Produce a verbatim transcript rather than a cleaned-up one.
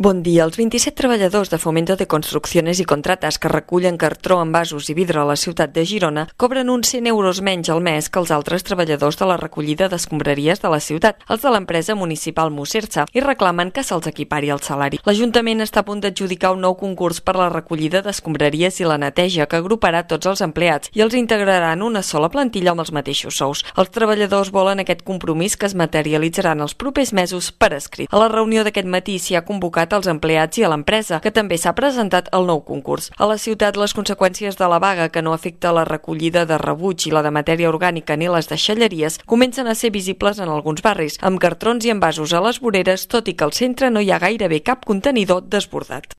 Bon dia. Els vint-i-set treballadors de Fomento de Construcciones i Contratas que recullen cartró, envasos i vidre a la ciutat de Girona cobren uns cent euros menys al mes que els altres treballadors de la recollida d'escombraries de la ciutat, els de l'empresa municipal Musersa, i reclamen que se'ls equipari el salari. L'Ajuntament està a punt d'adjudicar un nou concurs per la recollida d'escombraries i la neteja que agruparà tots els empleats i els integrarà en una sola plantilla amb els mateixos sous. Els treballadors volen aquest compromís que es materialitzarà en els propers mesos per escrit. A la reunió d'aquest matí s'hi ha convocat als empleats i a l'empresa, que també s'ha presentat el nou concurs. A la ciutat, les conseqüències de la vaga, que no afecta la recollida de rebuig i la de matèria orgànica ni les deixalleries, comencen a ser visibles en alguns barris, amb cartrons i envasos a les voreres, tot i que al centre no hi ha gairebé cap contenidor desbordat.